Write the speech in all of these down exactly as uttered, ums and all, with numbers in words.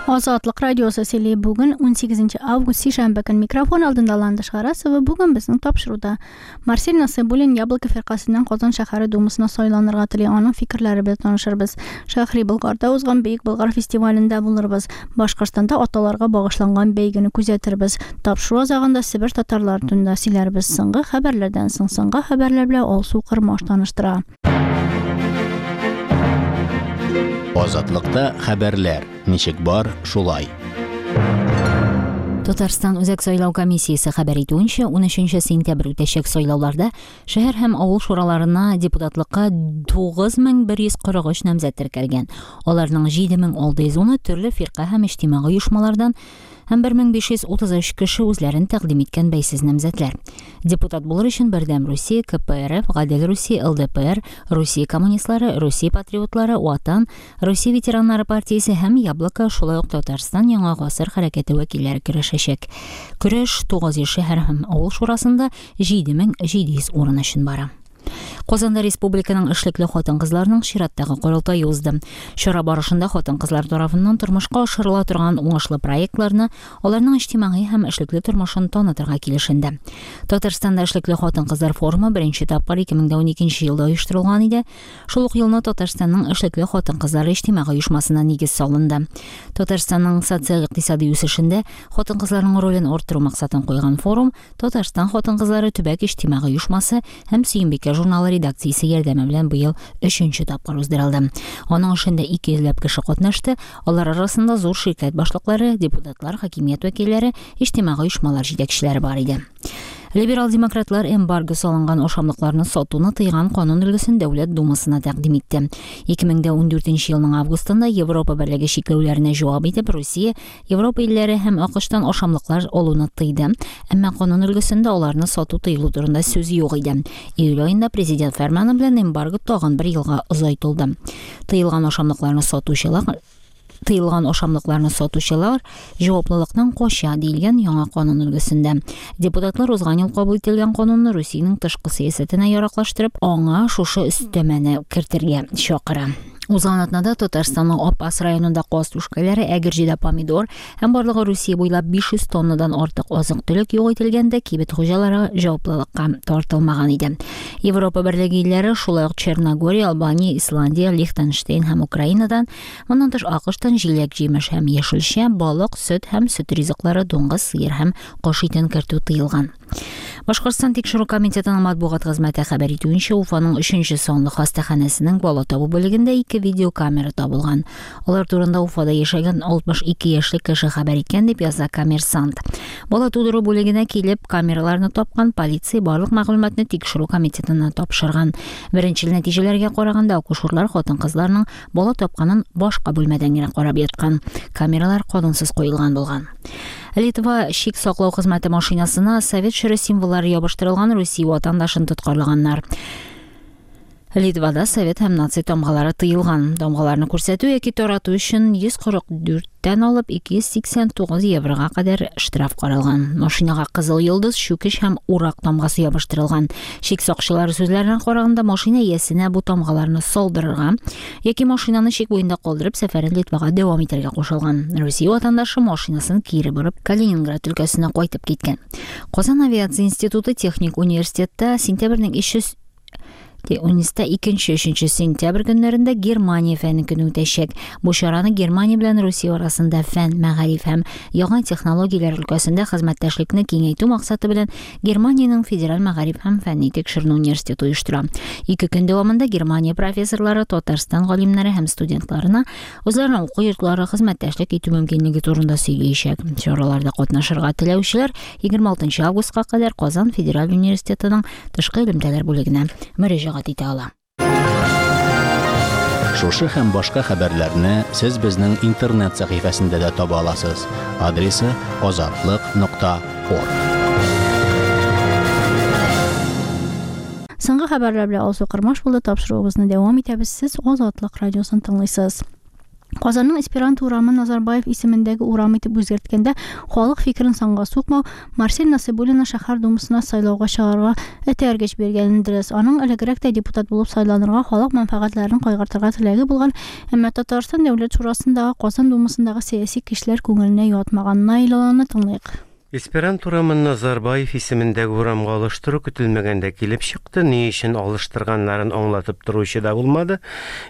Азатлык радиосы сөйли. Бүген унсигезенче август, сишәмбе көн. Микрофон алдында Ландыш Харасова. Бүген безнең тапшыруда Марсель Насыйбуллин Яблоко фиркасеннән Казан шәһәре думасына сайланырга тели. Аның фикерләре белән танышырбыз. Шәһри Болгарда узган Бөек Болгар фестивалендә булырбыз. Башкортстанда аталарга багышланган бәйгене күзәтербез. Тапшыру азагында Себер татарлары турында сөйләрбез. Соңгы хәбәрләрдән соң соңгы хәбәрләр белән Алсу Кырмаш таныштыра. Азатлыкта хәбәрләр ничек бар, шулай. Татарстан Үзәк сайлау комиссиясе хәбәр итүенчә, унөченче сентябрь үтәчәк сайлауларда шәһәр һәм авыл шураларына депутатлыкка тугыз мең бер йөз кырык өч намзәт теркәлгән. Аларның җиде мең алты йөз уны төрле фирка һәм иҗтимагый оешмалардан һәм бер мең биш йөз утыз өч кеше үзләрен тәкъдим иткән бәйсез намзәтләр. Депутат булыр өчен Бердәм Русия, К П Р Ф, Гадел Русия, Л Д П Р, Русия коммунистлары, Русия патриотлары, Ватан, Русия ветераннары партиясе һәм Яблоко, шулай ук Татарстан Яңа гасыр хәрәкәте вәкилләре көрәшәчәк. Көрәш тугыз йөз шәһәр һәм авыл шурасында җиде мең җиде йөз урын өчен бара. Казанда республиканың эшлекле хатын-кызларының чираттагы корылтае узды. Чара барышында хатын-кызлар тарафыннан тормышка ашырыла торган уңышлы проектларны, аларның иҗтимагый һәм эшлекле тормышын танытырга килешенде. Татарстанда эшлекле хатын-кызлар форумы беренче тапкыр ике мең дә уникенче елда оештырылган иде. Шул ук елны Татарстанның эшлекле хатын-кызлары иҗтимагый оешмасына нигез салынды. Татарстанның социаль-икътисади үсешендә хатын-кызларның ролен арттыру максатын куйган форум Татарстан хатын-кызлары төбәк иҗтимагый оешмасы һәм Сөембикә журналы редакциясе ярдәме белән быел өченче тапкыр уздырылды. Аның эшендә ике йөзләп кеше катнашты. Алар арасында зур ширкәт башлыклары, депутатлар, хакимият вәкилләре, иҗтимагый оешмалар җитәкчеләре бар иде. Либерал демократлар эмбарго салынган ашамлыкларны сатуны тыйган канун өлгесен Дәүләт Думасына тәкъдим итте. Ике мең дә ундүртенче елның августында Европа Берлеге чикләүләренә җавап итеп, Русия, Европа илләре һәм АКШтан ашамлыклар алуны тыйды. Әмма канун өлгесендә аларны сату тыелу турында сүз юк иде. Июль аенда президент фәрманы белән эмбарго тагын бер елга озайтылды. Тыелган ашамлыкларны сатучылар Тыелган ашамлыкларны сатучылар җаваплылыктан кача диелгән яңа канун өлгесендә. Депутатлар узган ел кабул ителгән канунны Русиянең тышкы сәясәтенә яраклаштырып, аңа шушы өстәмәне кертергә чакыра. Узган атнада Татарстанның Апас районында каз түшкәләре, Әгерҗедә помидор һәм барлыгы Русия буйлап биш йөз тоннадан артык азык-төлек юк ителгәндә кибет хуҗалары җаваплылыкка тартылмаган иде. Европа Берлеге илләре шулай ук Черногория, Албания, Исландия, Лихтенштейн һәм Украинадан, моннан тыш АКШтан җиләк-җимеш һәм яшелчә, балык, сөт һәм сөт ризыклары, дуңгыз, сыер һәм кош итен кертү тыелган. Башкортстан тикшерү комитетының матбугат хезмәте хәбәр итүенчә, Уфаның өченче санлы хастаханәсенең бала табу бүлегендә ике видеокамера табылган. Алар турында Уфада яшәгән алтмыш ике яшьлек кеше хәбәр иткән дип яза Коммерсант. Бала тудыру бүлегенә килеп камераларны тапкан полиция барлык мәгълүматны тикшерү комитетына тапшырган. Беренчел нәтиҗәләргә караганда, акушерлар хатын-кызларның бала тапканын башка бүлмәдән генә карап яткан. Камералар канунсыз куелган булган. Литва чик саклау хезмәте машинасына совет чоры символлары ябыштырылган Русия ватандашын тоткарлаганнар. Литвада совет һәм наци тамгалары тыелган. Тамгаларны күрсәтү яки тарату өчен йөз кырык дүрттән алып ике йөз сиксән тугыз еврога кадәр штраф каралган. Машинага кызыл йолдыз, чүкеч һәм урак тамгасы ябыштырылган. Чик сакчылары сүзләренә караганда, машина иясенә бу тамгаларны салдырырга яки машинаны чик буенда калдырып сәфәрен Литвага дәвам итәргә кушылган. Русия ватандашы машинасын кире борып Калининград өлкәсенә кайтып киткән. Казан авиация институты техник университетта сентябрьнең өч йөз Униста икенче, өченче сентябрь көннәрендә Германия фәне көне үтәчәк. Бу чараны Германия белән Русия арасында фән, мәгариф һәм яңа технологияләр өлкәсендә хезмәттәшлекне киңәйтү максаты белән Германиянең Федераль мәгариф һәм фәнни тикшеренү университеты оештыра. Ике көн дәвамында Германия профессорлары Татарстан галимнәре һәм студентларына үзләренең уку йортлары хезмәттәшлек итү мөмкинлеге турында сөйләячәк. Чараларда катнашырга теләүчеләр егерме алтынчы августка кадәр Казан Федераль университетының тышкы элемтәләр бүлегенә мөрәҗәгать итә ала. Шушы һәм башка хәбәрләрне сез безнең интернет сәхифәсендә дә таба аласыз. Адресы азатлык нокта орг. Соңгы хәбәрләр белән Алсу Кырмаш булды. Тапшыруыбызны дәвам итәбез. Сез Азатлык радиосын тыңлыйсыз. Казанның Эсперанто урамын Назарбаев исемендәге урам итеп үзгәрткәндә халык фикерен санга сукмау Марсель Насыйбуллинны шәһәр думасына сайлауга чыгарга этәргеч биргән дөрес. Аның элегрәк тә депутат булып сайланырга, халык мәнфәгатьләрен кайгыртырга теләге булган, әмма Татарстан Дәүләт Шурасындагы, Казан думасындагы сәяси кешеләр күңеленә ятмаган. Наил Аланны тыңлыйк. Эсперанто урамын Назарбаев исемендәге урамга алыштыру көтелмәгәндә килеп чыкты. Ни өчен алыштырганнарын аңлатып торучы да булмады.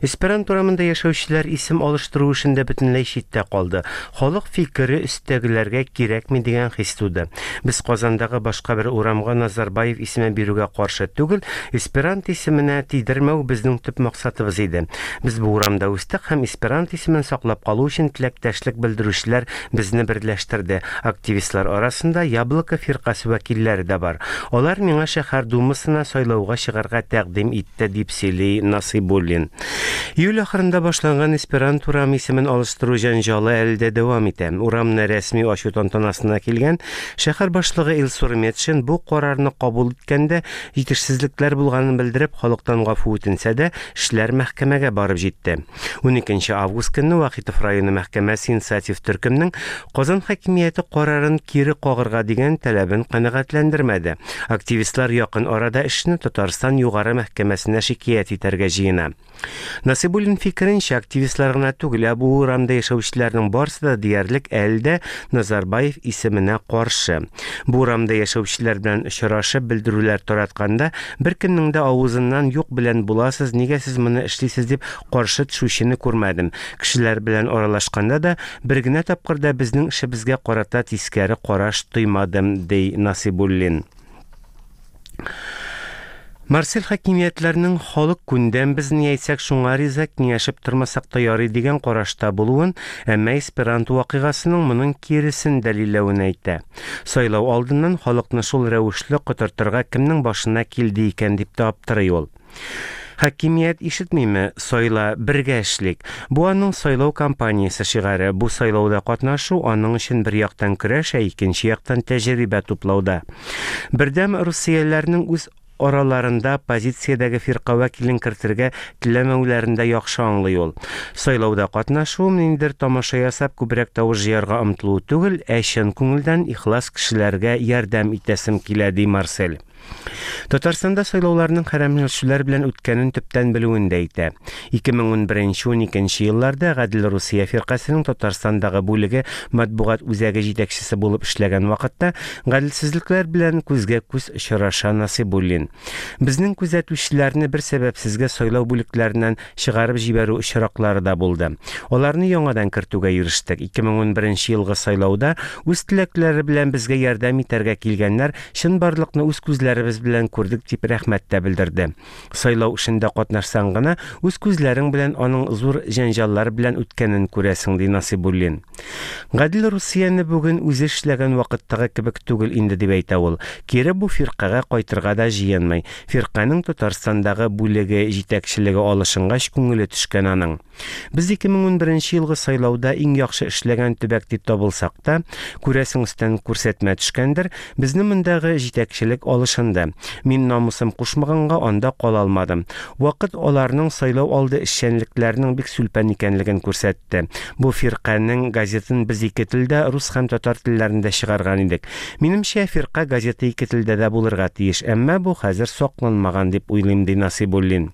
Эсперанто урамында яшәүчеләр исем алыштыру эшендә бөтенләй читтә калды. Халык фикере өстәгеләргә кирәкми дигән хис туды. Без Казандагы башка бер урамга Назарбаев исемен бирүгә каршы түгел, Эсперанто исеменә тидермәү безнең төп максатыбыз иде. Без бу урамда үстек һәм Эсперанто исемен саклап калу өчен теләктәшлек белдерүчеләр безне берләштерде. Активистлар арасында Яблоко фиркасы вәкилләре дә бар. Алар миңа шәһәр думасына сайлауга чыгарга тәкъдим итте, дип сөйли Насыйбуллин. Июль ахырында башланган Эсперанто урамы исемен алыштыру җәнҗалы әле дә дәвам итә. Урамны рәсми ачу тантанасына килгән шәһәр башлыгы Илсур Метшин бу карарны кабул иткәндә җитешсезлекләр булганын белдереп, халыктан гафу үтенсә дә, эшләр мәхкәмәгә барып җитте. Уникенче август көнне Вахитов районы мәхкәмәсе инициатив төркемнең Казан хакимияте карарын кире кагырга дигән таләбен канәгатьләндермәде. Активистлар якын арада эшне Татарстан югары мәхкәмәсенә шикаять итәргә җыена. Насыйбуллин фикеренчә, активистлар гына түгел, ә бу урамда яшәүчеләрнең барысы да диярлек әле дә Назарбаев исеменә каршы. Бу урамда яшәүчеләр белән очрашып белдерүләр таратканда беркемнең дә авызыннан юк белән буласыз, нигә сез моны эшлисез дип каршы төшүчене күрмәдем. Кешеләр белән аралашканда да бер генә тапкыр да безнең эшебезгә карата тискәре караш тоймадым, ди Насыйбуллин. Марсель хакимиятләрнең халык күндәм без ни әйтсәк шуңа риза, киңәшеп тормасак та ярый дигән карашта булуын, әмма Эсперанто вакыйгасының моның киресен дәлилләвен әйтә. Сайлау алдыннан халыкны шул рәвешле котыртырга кемнең башына килде икән дип тә аптырый ул. Хакимият ишетмиме? Сайла, бергә эшлик. Бу аның сайлау кампаниясе шигаре. Бу сайлауда катнашу аның өчен бер яктан көрәш, ә икенче яктан тәҗрибә туплауда. Бердәм Русияләрнең үз араларында позициядәге фирка вәкилен кертергә теләмәүләрен дә яхшы аңлый ул. Сайлауда катнашу ниндидер тамаша ясап күбрәк тавыш җыярга омтылу түгел, ә чын күңелдән ихлас кешеләргә ярдәм итәсем килә, ди Марсель. Татарстанда сайлауларның хәрәмләшүләр белән үткәнен төптән белүен дә әйтә. ике мең унберенче-ун икенче елларда Гадел Русия фиркасының Татарстандагы бүлеге матбугат үзәге җитәкчесе булып эшләгән вакытта гаделсезлекләр белән күзгә күз очраша Насыйбуллин. Безнең күзәтүчеләрне бер сәбәпсезгә сайлау бүлекләреннән чыгарып җибәрү очраклары да булды. Аларны яңадан кертүгә ирештек. ике мең унберенче елгы сайлауда үз теләкләре белән безгә ярдәм итәргә килгәннәр чынбарлыкны үз күзләребез белән күрдек дип рәхмәт тә белдерде. Сайлау эшендә катнашсаң гына үз күзләрең белән аның зур җәнҗаллар белән үткәнен күрәсең, ди Насыйбуллин. Гадел Русияне бүген үзе эшләгән вакыттагы кебек түгел инде дип әйтә ул. Кире бу фиркага кайтырга да җыенмый. Фирканың Татарстандагы бүлеге җитәкчелеге алышынгач күңеле төшкән аның. Без ике мең унберенче елгы сайлауда иң яхшы эшләгән төбәк дип табылсак та, күрәсең өстән күрсәтмә төшкәндер, безне мондагы җитәкчелек алышынды. Мин намусым кушмаганга анда кала алмадым. Вакыт аларның сайлау алды эшчәнлекләренең бик сүлпән икәнлеген күрсәтте. Бу фирканең газетын без ике телдә, рус һәм татар телләрендә чыгарган идек. Минемчә, фирка газеты ике телдә дә булырга тиеш, әмма бу хәзер сакланмаган дип уйлыйм, ди Насыйбуллин.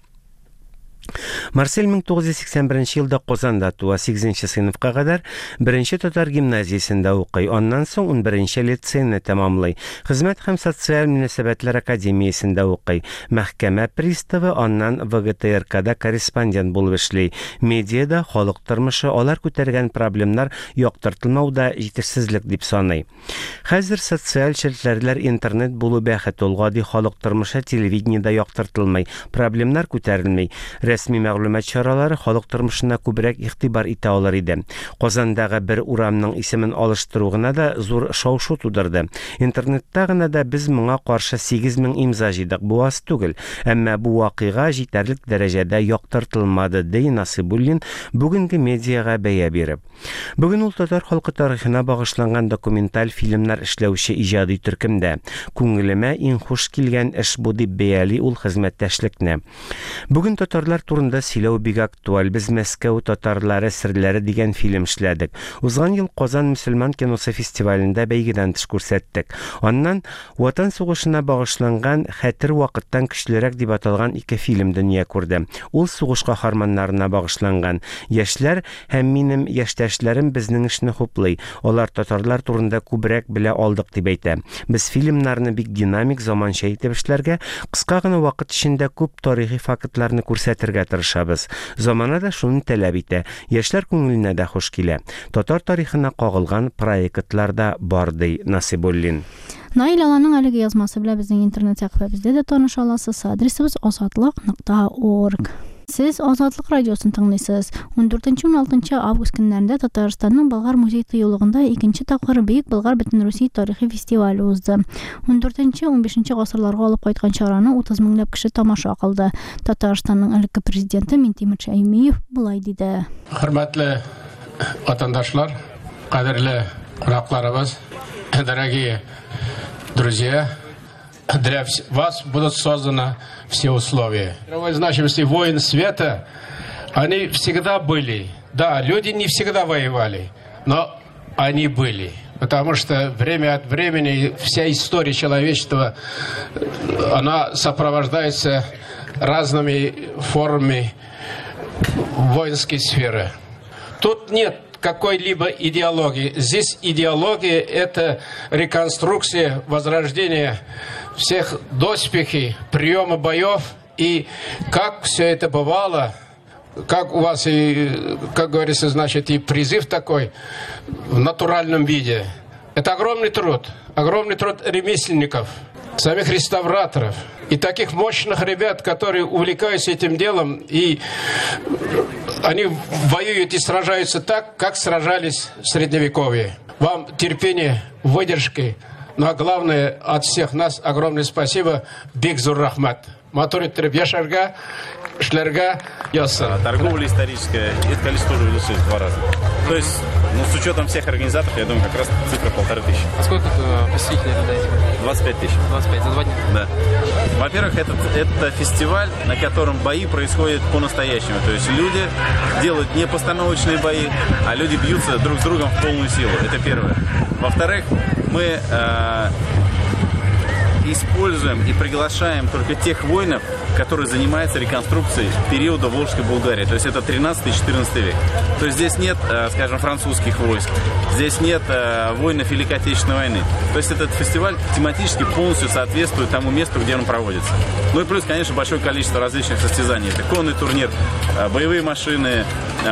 Марсель мең тугыз йөз сиксән беренче елда Казанда туа, сигезенче сыйныфка кадәр беренче татар гимназиясендә укый, аннан соң унберенче лицейны тәмамлый. Хезмәт һәм социаль мөнәсәбәтләр академиясендә укый. Мәхкәмә приставы, аннан В Г Т Р К-да корреспондент булып эшли. Медиада халык тормышы, алар күтәргән проблемнар яктыртылмауда җитешсезлек дип саный. Хәзер социаль челтәрләр, интернет булу бәхет ул, гади халык тормышы телевидениедә яктыртылмый, проблемнар күтәрелми. Рәсми мәгълүмат чаралары халык тормышына күбрәк игътибар итә алыр иде. Казандагы бер урамның исемен алыштыру гына да зур шау-шу тудырды. Интернетта гына да без моңа каршы сигез мең имза җыйдык. Бу аз түгел, әмма бу вакыйга җитәрлек дәрәҗәдә яктыртылмады, ди Насыйбуллин бүгенге медиага бәя биреп. Бүген ул татар халкы тарихына багышланган документаль фильмнар эшләүче иҗади төркемдә. Күңелемә иң хуш килгән эш бу дип бәяли ул хезмәттәшлекне. Бүген татарлар турында сөйләү бик актуаль. Без Мәскәү татарлары серләре дигән фильм эшләдек. Узган ел Казан мөселман киносы фестивалендә бәйгедән тыш күрсәттек. Аннан Ватан сугышына багышланган Хәтер вакыттан көчлерәк дип аталган ике фильм дөнья күрде. Ул сугыш каһарманнарына багышланган. Яшьләр һәм минем яшьтәшләрем безнең эшне хуплый. Алар татарлар турында күбрәк белә алдык дип әйтә. Без фильмнарны бик динамик, заманча итеп эшләргә, кыска гына вакыт эчендә күп тарихи фактларны күрсәтергә тырышабыз. Замана да шуны таләп итә. Яшьләр күңеленә дә хуш килә. Татар тарихына кагылган проектлар да бар, ди Насибуллин. Наил Аланның әлеге язмасы белән безнең интернет сәхифәбездә дә таныша аласыз. Адресыбыз азатлык нокта орг. Сез Азатлык радиосын тыңлыйсыз. ун дүртенче ун алтынчы август көннәрендә Татарстанның Болгар музей тыюлыгында икенче тапкыр Бөек Болгар Бөтенрусия тарихи фестивале узды. ун дүртенче ун бишенче гасырларга алып кайткан чараны утыз меңләп кеше тамаша кылды. Татарстанның элекке президенты Минтимер Шәймиев болай диде. Хөрмәтле ватандашлар, кадерле кунакларыбыз, дорогие друзья, для вас будут созданы все условия. Мировой значимости воин света, они всегда были. Да, люди не всегда воевали, но они были. Потому что время от времени вся история человечества, она сопровождается разными формами воинской сферы. Тут нет какой-либо идеологии. Здесь идеология – это реконструкция, возрождение всех доспехи, приема боев. И как все это бывало, как у вас, и, как говорится, значит, и призыв такой в натуральном виде. Это огромный труд, огромный труд ремесленников, самих реставраторов и таких мощных ребят, которые увлекаются этим делом, и они воюют и сражаются так, как сражались в Средневековье. Вам терпения, выдержки, ну а главное, от всех нас огромное спасибо. Бик зур рәхмәт. Матур иттереп яшәргә, эшләргә язсын. Торговля историческая, это количество тоже увеличилось в два раза. То есть, ну, с учетом всех организаторов, я думаю, как раз цифра полторы тысячи. А сколько посетителей ожидаете? двадцать пять тысяч. двадцать пять за два дня? Да. Во-первых, это, это фестиваль, на котором бои происходят по-настоящему. То есть люди делают не постановочные бои, а люди бьются друг с другом в полную силу. Это первое. Во-вторых, мы э, используем и приглашаем только тех воинов, которые занимаются реконструкцией периода Волжской Булгарии. То есть это тринадцатый-четырнадцатый век. То есть здесь нет, скажем, французских войск, здесь нет воинов Великой Отечественной войны. То есть этот фестиваль тематически полностью соответствует тому месту, где он проводится. Ну и плюс, конечно, большое количество различных состязаний. Это конный турнир, боевые машины,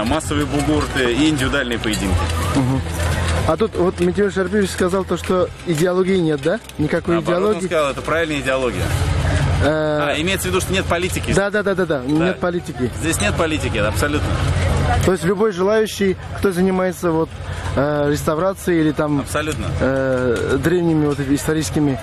массовые бугурты и индивидуальные поединки. Угу. А тут вот Минтимер Шарипович сказал то, что идеологии нет, да? Никакой Наоборот, идеологии. Он сказал, это правильная идеология. А, имеется в виду, что нет политики. Да, да, да, да, да, нет политики. Здесь нет политики, абсолютно. То есть любой желающий, кто занимается вот э, реставрацией или там абсолютно. Э, древними вот историческими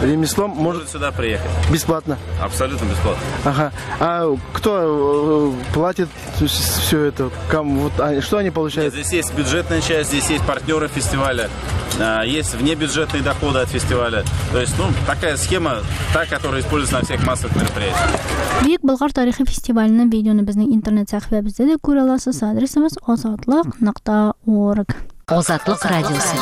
ремеслом, может, может сюда приехать. Бесплатно. Абсолютно бесплатно. Ага. А кто платит все это? Кому, вот, а, что они получают? Нет, здесь есть бюджетная часть, здесь есть партнеры фестиваля, есть внебюджетные доходы от фестиваля. То есть, ну, такая схема, та, которая используется на всех массовых мероприятиях. Бөек Болгар тарихи фестиваленең видеоны безнең интернет сәхифәбездә дә күрә аласыз. Адресыбыз азатлык нокта орг. Азатлык радиосы.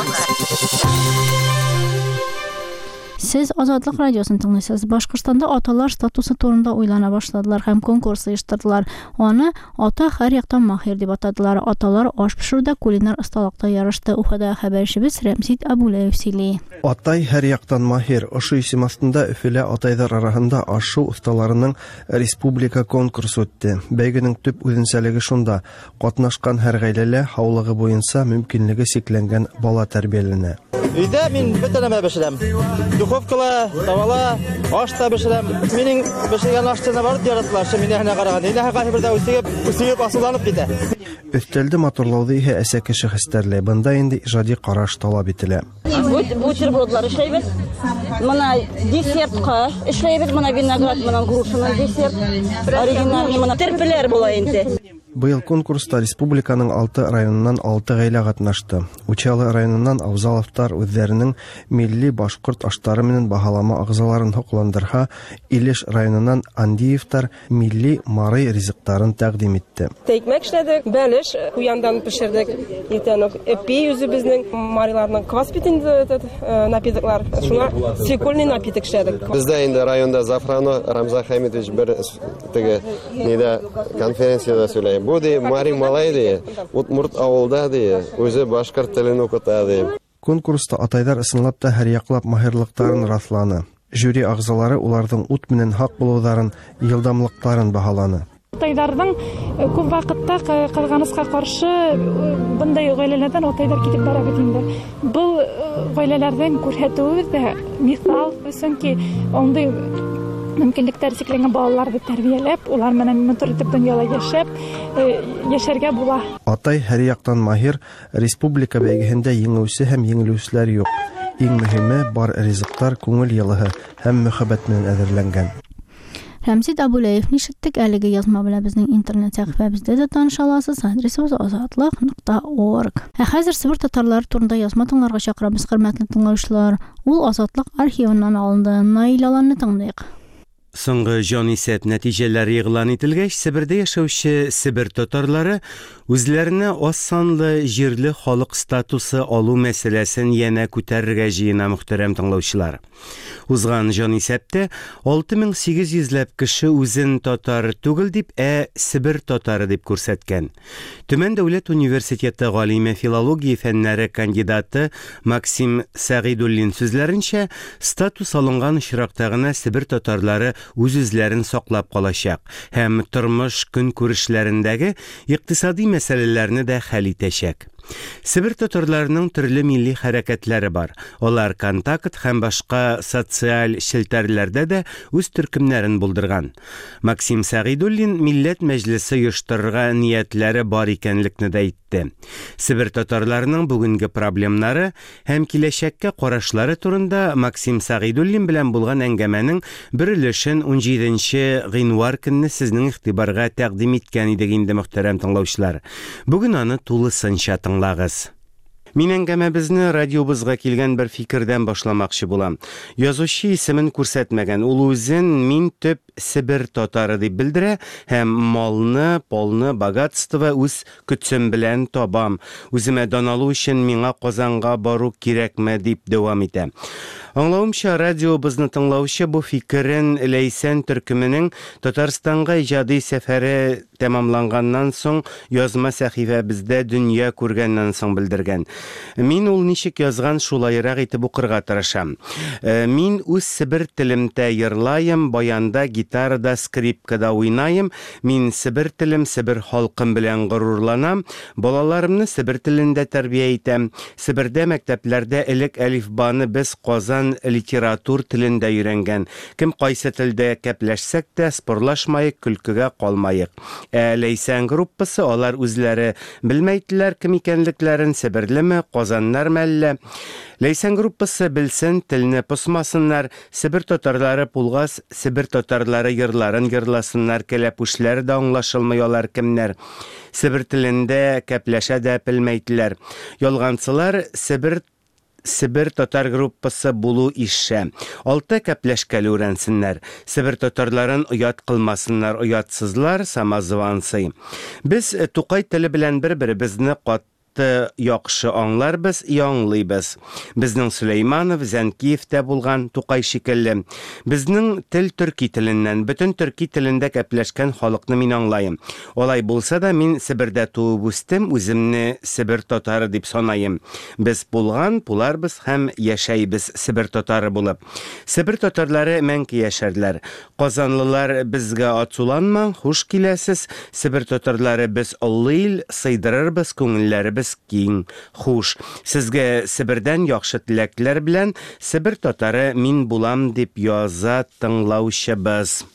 Сез Азатлык радиосын тыңлыйсыз. Башкортстанда аталар статусы турында уйлана башладылар һәм конкурс оештырдылар. Аны ата һәр яктан махир дип атадылар. Аталар аш пешерүдә, кулинар осталыкта ярышты. Уфада хәбәрчебез Рәмзит Абулаев сөйли. Атай һәр яктан махир. Ошо исем астында Өфөлә атайҙар араһында аш-шу оҫталарының республика конкурсы үтте. Бәйгенең төп үҙенсәлеге шунда: ҡатнашҡан һәр ғаиләлә һаулығы буйынса мөмкинлеге сикләнгән бала тәрбиәләнә. Өйҙә мин бөтә нәмә бешерәм. Духовкала, табала, аш та бешерәм. Минең бешергән ашты барып яраталар. Минәһенә ҡарағанда, инәһе ҡайһы берҙә үсегеп, үсегеп асыуланып китә. Өҫтәлде матурлауҙы иһә әсә кеше хәстәрләй. Бында инде ижади ҡараш талап ителә. Бутербродлар эшләйбеҙ. Мына десертҡа эшләйбеҙ. Мына виноград менән грушаның десерт. Оригинальный мына терпеләр була инде. Быел конкурста республиканың алты районыннан алты гаилә катнашты. Учалы районыннан Авзаловтар үзләренең милли башкорт ашлары менән баһалама агзаларын һокландырһа, Илеш районыннан Андиевтар милли марый ризыктарын тәкъдим итте. Тәкмәк эшләдек, бәлеш куяндан пешердек. Иртән үк эпи үзебезнең мариларның квас бит инде этот напитоклар. Шуңа свекольный напиток эшләдек. Бездә инде районда Зафрано Рамзан Хамитович бер теге нидә конференциядә сөйләй. Бу ди мари малай ди, Удмурт авылда ди, үзе башкорт телен укыта ди. Конкурста атайдар ысынлап та һәр яклап маһирлыктарын расланы. Жюри ағзалары уларҙың ут менән һаҡ булыуҙарын, йылдамлыҡтарын баһаланы. Атайҙарҙың күп ваҡытта ҡыҙғанысҡа ҡаршы бындай ғаиләләрҙән атайҙар китеп бара бит инде. Был ғаиләләрҙең күрһәтеүе ҙә миҫал, сөнки ундай мөмкинлектәр сикләнгән балаларҙы тәрбиәләп, улар менән матур итеп донъяла йәшәп, йәшәргә була. Атай һәр яҡтан маһир, республика бәйгеһендә еңеүсе һәм еңелеүселәр юҡ. Иң мөһиме бар ризыҡтар күңел йылыһы һәм мөхәббәт менән әҙерләнгән. Рәмзи Дабулаевны ишеттек. Әлеге язма белән безнең интернет сәхифәбездә дә таныша аласыз. Адресыбыз азатлык нокта орг. Ә хәзер Себер татарлары турында язма тыңларга чакырабыз, хөрмәтле тыңлаучылар. Ул Азатлык архивыннан алынды. Наил Аланны тыңлыйк. Соңгы җанисәп нәтиҗәләре игълан ителгәч, Себердә яшәүче Себер татарлары үзләренә аз санлы җирле халык статусы алу мәсьәләсен янә күтәрергә җыена, мөхтәрәм тыңлаучылар. Узган җанисәптә алты мең сигез йөзләп кеше үзен татар түгел дип, ә Себер татары дип күрсәткән. Төмән дәүләт университеты галиме филология фәннәре кандидаты Максим Сәгыйдуллин сүзләренчә, статус алынган очракта гына Себер татарлары үз-үзләрен саклап калачак һәм тормыш көнкүрешләрендәге икътисади мәсьәләләрне дә хәл итәчәк. Себер татарларының төрле милли хәрәкәтләре бар. Алар Контакт һәм башка социаль челтәрләрдә дә үз төркемнәрен булдырган. Максим Сәгыйдуллин милләт мәҗлесе оештырырга ниятләре бар икәнлекне дә әйтте. Себер татарларының бүгенге проблемнары һәм киләчәккә карашлары турында Максим Сәгыйдуллин белән булган әңгәмәнең бер өлешен унҗиденче гыйнвар көнне сезнең игътибарга тәкъдим иткән идек инде, мөхтәрәм тыңлаучылар. Бүген аны тулысынча тыңлагыз. Мин әңгәмәбезне радиобызга килгән бер фикердән башламакчы булам. Язучы исемен күрсәтмәгән, ул үзен мин төп Себер татары дип белдерә һәм малны, полны, богатство үз көтсем белән табам. Үземә дан алу өчен миңа Казанга бару кирәкме дип дәвам итә. Аңлавымча, радиобызны тыңлаучы бу фикерен Ләйсән төркеменең Татарстанга иҗади сәфәре тәмамланганнан соң язма сәхифәбездә дөнья күргәннән соң белдергән. Мин ул ничек язган шулайрак итеп укырга тырышам. Мин үз Себер телемдә йырлаем, баянда, гитарада, скрипкада уйнаем. Мин Себер телем, Себер халкым белән горурланам. Балаларымны Себер телендә тәрбия итәм. Себердә мәктәпләрдә элек әлифбаны без Казан литератур телендә өйрәнгән. Кем кайсы телдә кәпләшсәк тә, спорлашмаек, көлкегә калмаек. Ә Ләйсән группасы алар үзләре белмәйделәр кем икәнлекләрен, Себерлеме, Казаннар мәллә. Ләйсән группасы белсен, телне посмасыннар, Себер татарлары пулгас, Себер татарлары йырларын йырласыннар, кәләпүшләр дә аңлашылмый алар кемнәр. Себер телендә кәпләшә дә белмәйделәр. Ялганчылар Себер Себер татар группасы булу ише. Алты кәпләшкәле үрәнсеннәр. Себер татарларын оят кылмасыннар, оятсызлар, самозванцы. Без Тукай теле белән бер-беребезне кат яхшы аңларбыз, яңлыйбыз. Безнең Сөләйманов, Зәнкиевтә булган Тукай шикелле. Безнең тел төрки теленнән, бөтен төрки телендә кәпләшкән халыкны мин аңлайым. Алай булса да мин Себердә туып үстем, үземне Себер татары дип санайым. Без булган, буларбыз һәм яшәйбез Себер татары булып. Себер татарлары мәңге яшәрләр. Казанлылар безгә ацуланмаң, хуш киләсез. Себер татарлары без олы ил, сыйдырырбыз, күңелләребез киң. Хуш. Сезгә Себердән яхшы теләкләр белән Себер татары мин булам дип яза тыңлаучыбыз.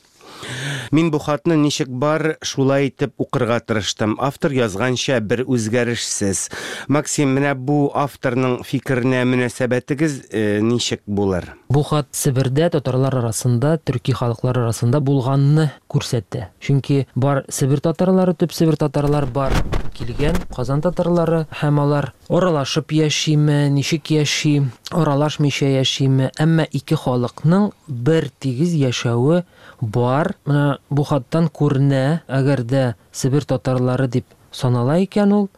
Мин бу хатны ничек бар, шулай итеп укырга тырыштым. Автор язганча бер үзгәрешсез. Максим, менә бу авторның фикеренә мөнәсәбәтегез э, ничек булыр? Бу хат Себердә татарлар арасында, төрки халыклар арасында булганны күрсәтә. Чөнки бар Себер татарлары, төп Себер татарлар бар килгән Казан татарлары һәм алар аралашып яшиме, ничек яши, аралашмыйча яшиме, әмма ике халыкның бер тигез яшәве бар. Менә бу хаттан күренә, әгәр дә Себер татарлары дип санала икән ул,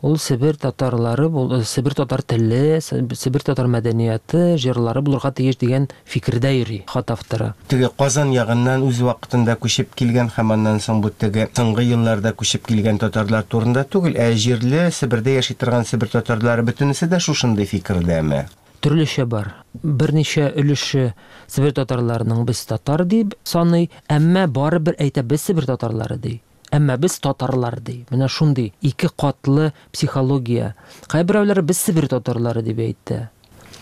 ул Себер татарлары, Себер татар теле, Себер татар мәдәнияте, җырлары булырга тиеш дигән фикердә йөри хат авторы. Теге Казан ягыннан үз вакытында күчеп килгән һәм аннан соң бу теге соңгы елларда күчеп килгән татарлар турында түгел, ә җирле Себердә яши торган Себер татарлары бөтенесе дә шушындый фикердәме? Төрлечә бар. Берничә өлеше Себер татарларының без татар дип саный, әмма барыбер әйтә без Себер татарлары ди. Әмма без татарлар ди. Менә шундый ике катлы психология. Кайберәүләр без Себер татарлары дип әйтте.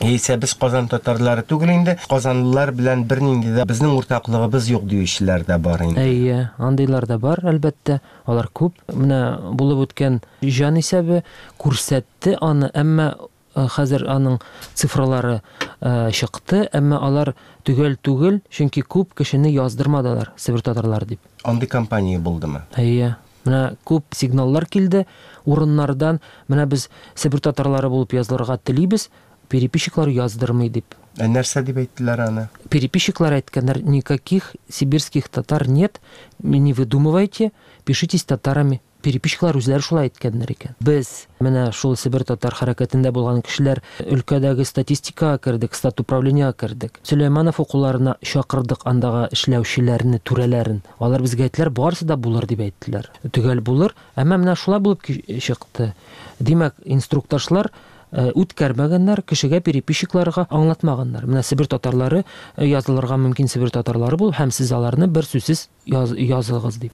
Яисә без Казан татарлары түгел инде, казанлылар белән бернинди дә безнең уртаклыгыбыз юк диючеләр дә бар инде. Әйе, андыйлар да бар, әлбәттә. Алар күп. Менә булып үткән җан исәбе күрсәтте аны, әмма хәзер аның цифралары чыкты, әмма алар төгәл түгел, чөнки күп кешене яздырмадылар Себер татарлары дип. Андый компания булдымы? Әйе. Менә күп сигналлар килде урыннардан. Менә без Себер татарлары булып язылырга телибез, переписчиклар яздырмый дип. Ә нәрсә дип әйттеләр аны? Переписчиклар әйткәннәр, никаких сибирских татар нет, не выдумывайте, пишитесь татарами. Переписчиклар үзләре шулай әйткәннәр икән. Без менә шул Себер татар хәрәкәтендә булган кешеләр өлкәдәге статистикага кердек, статуправлениега кердек. Сөләйманов укуларына чакырдык андагы эшләүчеләрне, түрәләрен. Алар безгә әйттеләр, барысы да булыр дип әйттеләр. Төгәл булыр, әмма менә шулай булып чыкты. Димәк, инструктажлар үткәрмәгәннәр, кешегә переписчикларга аңлатмаганнар. Менә Себер татарлары язылырга мөмкин Себер татарлары булып, һәм сез аларны бер сүзсез языгыз дип.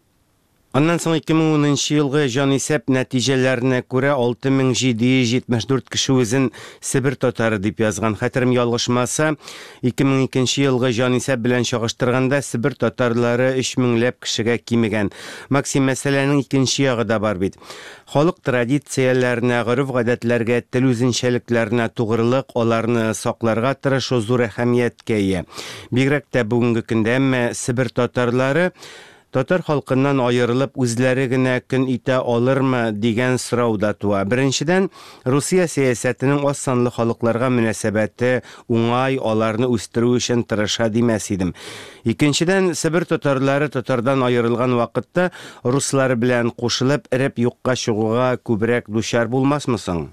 Аннан соң ике мең унынчы елгы җанисәп нәтиҗәләренә күрә алты мең җиде йөз җитмеш дүрт кеше үзен Себер татары дип язган. Хәтерем ялгышмаса, ике мең икенче елгы җанисәп белән чагыштырганда Себер татарлары өч меңләп кешегә кимегән. Максим, мәсьәләнең икенче ягы да бар бит. Халык традицияләренә, гореф-гадәтләргә, тел үзенчәлекләренә тугрылык, аларны сакларга тырышу зур әһәмияткә ия. Бигрәк тә бүгенге көндә, әмма Себер татарлары татар халкыннан аерылып үзләре генә көн итә алырмы дигән сорау да туа. Беренчедән, Русия сәясәтенең аз санлы халыкларга мөнәсәбәте уңай, аларны үстерү өчен тырыша димәс идем. Икенчедән, Себер татарлары татардан аерылган вакытта руслар белән кушылып эреп юкка чыгуга күбрәк дучар булмасмы соң?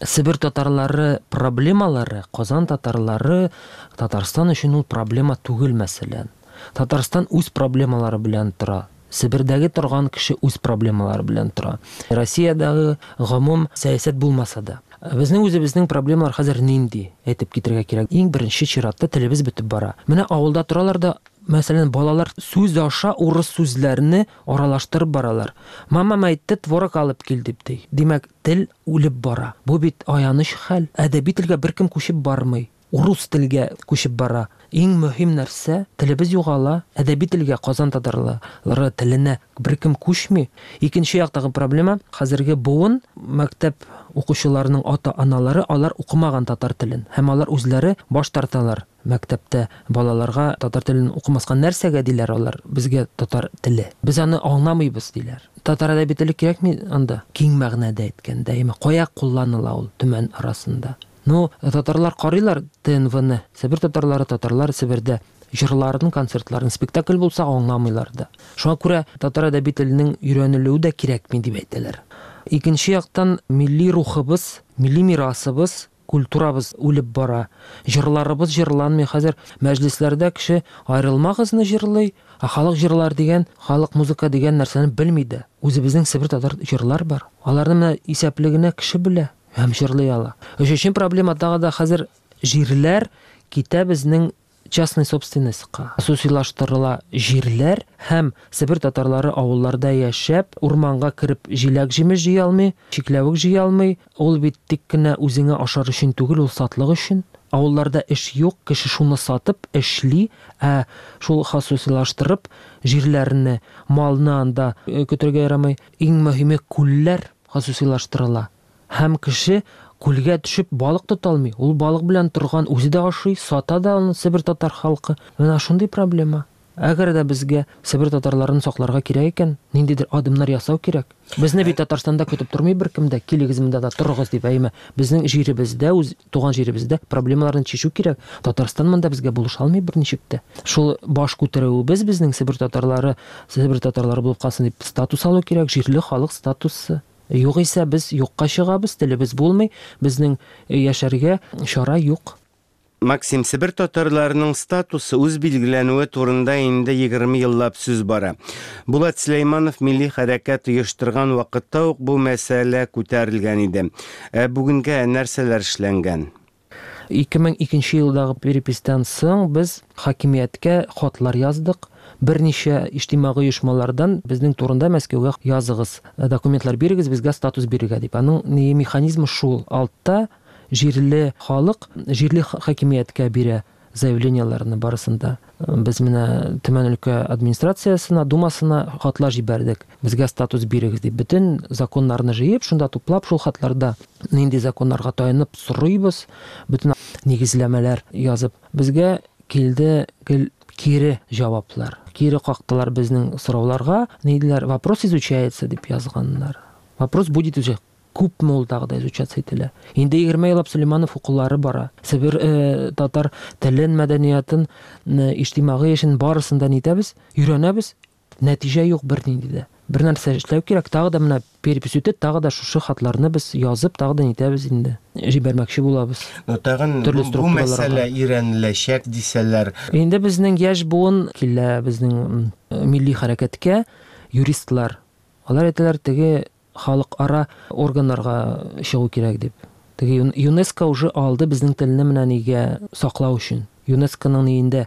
Себер татарлары проблемалары, Казан татарлары Татарстан өчен ул проблема түгел, мәсәлән. Татарстан үз проблемалары белән тора. Себердәге торган кеше үз проблемалары белән тора. Россиядәге гомум сәясәт булмаса да. Безнең үзебезнең проблемалар хәзер нинди? Әйтеп китергә кирәк. Иң беренче чиратта телебез бетеп бара. Менә авылда торалар да, мәсәлән, балалар сүз аша урыс сүзләрне аралаштырып баралар. Мамам әйтте, творог алып кил дип ди. Димәк, тел үлеп бара. Бу бит аяныч хәл. Әдәби телгә беркем күчеп бармый. Урыс телгә күчеп бара. Иң мөһим нәрсә, телебез югала, әдәби телгә, Казан татарлары теленә беркем күчми. Икенче яктагы проблема, хәзерге буын мәктәп укучыларының ата-аналары, алар укымаган татар телен һәм алар үзләре баш тарталар. Мәктәптә балаларга татар телен укымаска нәрсәгә диләр алар, безгә татар теле. Без аны аңламыйбыз диләр. Татар әдәби теле кирәкми анда? Киң мәгънәдә әйткәндә, әмма кая кулланыла ул Төмән арасында? Ну, татарлар карыйлар Т Н В-ны. Себер татарлары, татарлар Себердә җырларын, концертларын, спектакль булса аңламыйлар да. Шуңа күрә татар әдәби теленең өйрәнелүе дә кирәкми дип әйтәләр. Икенче яктан милли рухыбыз, милли мирасыбыз, культурабыз үлеп бара. Җырларыбыз җырланмый. Хәзер мәҗлесләрдә кеше аерылмагызны җырлый, ә халык җырлар дигән, халык музыка дигән нәрсәне белми дә. Үзебезнең Себер татар җырлар бар. Аларны менә исәпле генә кеше белә һәм җырлый ала. Өченче проблема тагы да хәзер җирләр китә безнең частный собственностька. Хосусилаштырыла җирләр һәм Себер татарлары авылларда яшәп, урманга кереп җиләк җимеш җыя алмый, чикләвек җыя алмый. Ул бит тик кенә үзеңә ашар өчен түгел, ул сатлык өчен. Авылларда эш юк, кеше шуны сатып эшли, ә шул хосусилаштырып җирләрне, малны анда көтергә ярамый. Иң мөһиме күлләр хосусилаштырыла. Һәм кеше күлгә төшеп балык тота алмый. Ул балык белән торган, үзе дә ашый, сата да аны Себер татар халкы. Менә шундый проблема. Әгәр дә безгә Себер татарларын сакларга кирәк икән, ниндидер адымнар ясау кирәк. Безне бит Татарстанда көтеп тормый беркем дә, килегез монда да торыгыз дип, әйме. Безнең җиребездә, үз туган җиребездә проблемаларны чишү кирәк. Татарстан монда безгә булыша алмый берничек тә. Шул баш күтәрүебез безнең Себер татарлары, Себер татарлары булып калсын дип статус алу кирәк, җирле халык статусы. Югыйсә без юкка чыгабыз, телебез булмый, безнең яшәргә чара юк. Максим, Себер татарларының статусы үз билгеләнүе турында инде егерме еллап сүз бара. Булат Сөләйманов милли хәрәкәт оештырган вакытта ук бу мәсьәлә күтәрелгән иде. Ә бүгенгә нәрсәләр эшләнгән? ике мең икенче елдагы переписьтән соң без хакимияткә хатлар яздык. Берничә иҗтимагый оешмалардан безнең турында Мәскәүгә языгыз, документлар бирегез, безгә статус бирергә дип. Аның механизмы шул: алтта җирле халык җирле хакимияткә бирә заявлениеләрне барысында. Без менә Төмән өлкә администрациясенә, думасына хатлар җибәрдек. Безгә статус бирегез дип. Бөтен законнарны җыеп, шунда туплап, шул хатларда нинди законнарга таянып сорыйбыз, бөтен нигезләмәләр язып. Безгә килде гел кире җаваплар. Кире кактылар безнең сорауларга. Ни диләр? Вопрос изучается дип язганнар. Вопрос будет изучаться. Күпме ул тагы да изучаться ителә. Инде егерме еллап Сөләйманов укулары бара. Себер э, татар телен, мәдәниятын, иҗтимагый эшен барысын да нитәбез, өйрәнәбез. Нәтиҗә юк бернинди дә. Бер нәрсә эшләү кирәк. Тагы да менә перепись үтә, тагы да шушы хатларны без язып, тагы да нитәбез инде. Җибәрмәкче булабыз. Но тагын бу мәсьәлә өйрәнеләчәк дисәләр. Инде безнең яшь буын килә безнең милли хәрәкәткә, юристлар. Алар әйтәләр, теге халыкара органнарга чыгу кирәк дип. Теге ЮНЕСКО уже алды безнең телне менә нигә саклау өчен. ЮНЕСКОның ниендә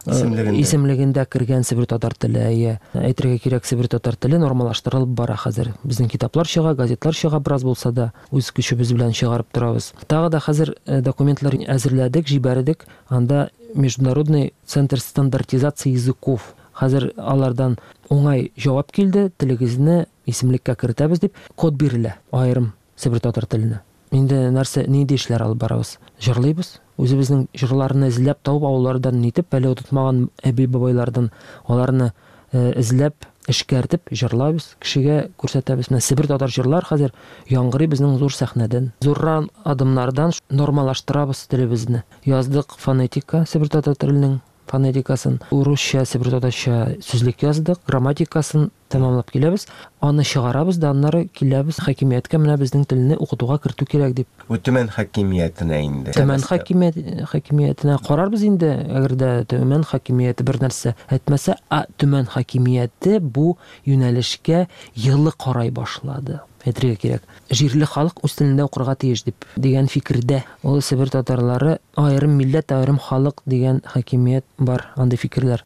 исемлегендә, исемлегендә кергән Себер татар теле. Әйе, әйтергә кирәк, Себер татар теле нормалаштырылып бара хәзер. Безнең китаплар чыга, газетлар чыга, бераз булса да үз көчебез белән чыгарып торабыз. Тагы да хәзер документлар әзерләдек, җибәрдек. Анда Международный центр стандартизации языков. Хәзер алардан уңай җавап килде, телегезне исемлеккә кертәбез дип, код бирелә аерым Себер татар теленә. Инде нәрсә, нинди эшләр алып барабыз? Җырлыйбыз. Үзебезнең җырларны эзләп табып, авыллардан нитеп, әле отытмаган әби-бабайлардан аларны эзләп, эшкәртеп җырлабыз, кешегә күрсәтәбез. Менә Себер татар җырлар хәзер яңгырый безнең зур сәхнәдән. Зуррак адымнардан нормалаштырабыз телебезне. Яздык фонетика Себер татар теленең фонетикасын, урысча, себер татарча сүзлек яздык, грамматикасын тәмамлап киләбез. Аны чыгарабыз да, аннары киләбез хакимияткә, менә безнең телне укытуга кертү кирәк дип. Бу Төмән хакимиятенә инде. Төмән хакимият, хакимиятенә карарбыз инде, әгәр дә Төмән хакимияте бер нәрсә әйтмәсә, а Төмән хакимияте бу юнәлешкә елы карай башлады. Әйтергә кирәк. Җирле халык үз телендә укырга тиеш дип дигән фикердә. Ул Себер татарлары аерым милләт, аерым халык дигән хакимият бар, андый фикерләр.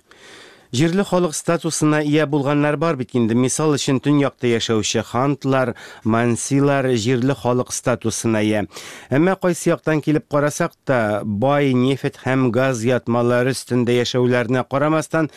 Җирле халык статусына ия булганнар бар бит инде. Мисал өчен төньякта яшәүче хантлар, мансилар җирле халык статусына ия. Әмма кайсы яктан килеп карасак та, бай нефть һәм газ ятмалары өстендә яшәүләренә карамастан,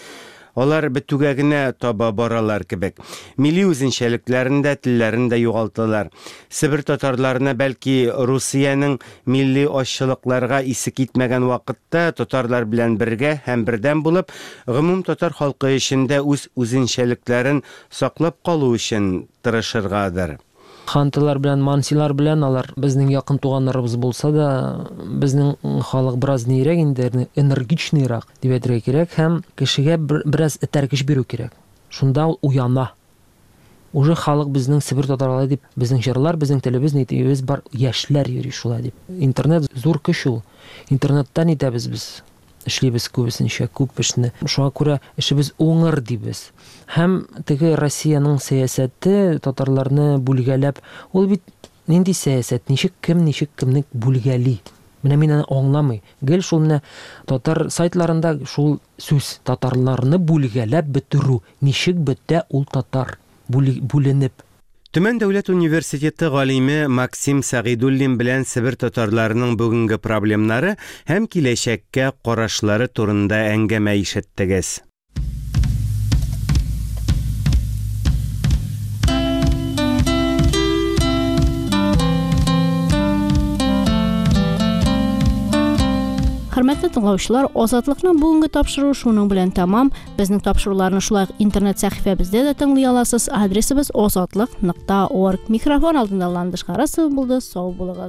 алар бетүгә генә таба баралар кебек. Милли үзенчәлекләрен дә, телләрен дә югалталар. Себер татарларына бәлки Русиянең милли азчылыкларга исе китмәгән вакытта татарлар белән бергә һәм бердәм булып, гомум татар халкы эчендә үз үзенчәлекләрен саклап калу өчен тырышыргадыр. Хантылар белән, мансилар белән алар безнең якын туганнарыбыз булса да, безнең халык бераз нирәк инде, энергичныйрак дип әйтергә кирәк, һәм кешегә бераз этәргеч бирү кирәк. Шунда ул уяна. Уже халык безнең Себер татарлары дип, безнең җырлар, безнең телебез, нитебез бар, яшьләр йөри шулай дип. Интернет зур көч ул. Интернеттан итәбез без. Эшлибез күбесенчә, күп эшне. Шуңа күрә эшебез уңыр дибез. Һәм теге Россиянең сәясәте татарларны бүлгәләп, ул бит нинди сәясәт, ничек кем, ничек кемне бүлгәли. Менә мин аны аңламый. Гел шул менә татар сайтларында шул сүз, татарларны бүлгәләп бетерү. Ничек бетә ул татар бүленеп. Төмән дәүләт университеты галиме Максим Сәгыйдуллин белән Себер татарларының бүгенге проблемнары һәм киләчәккә карашлары турында әңгәмә ишеттегез. Хөрмәтле тыңлаучылар, Азатлыкның бүгенге тапшыруы шуның белән тәмам. Безнең тапшыруларны шулай ук интернет сәхифәбездә дә тыңлый аласыз. Адресыбыз азатлык нокта орг. Микрофон алдында Ландыш Гарасова булды. Сау булыгыз.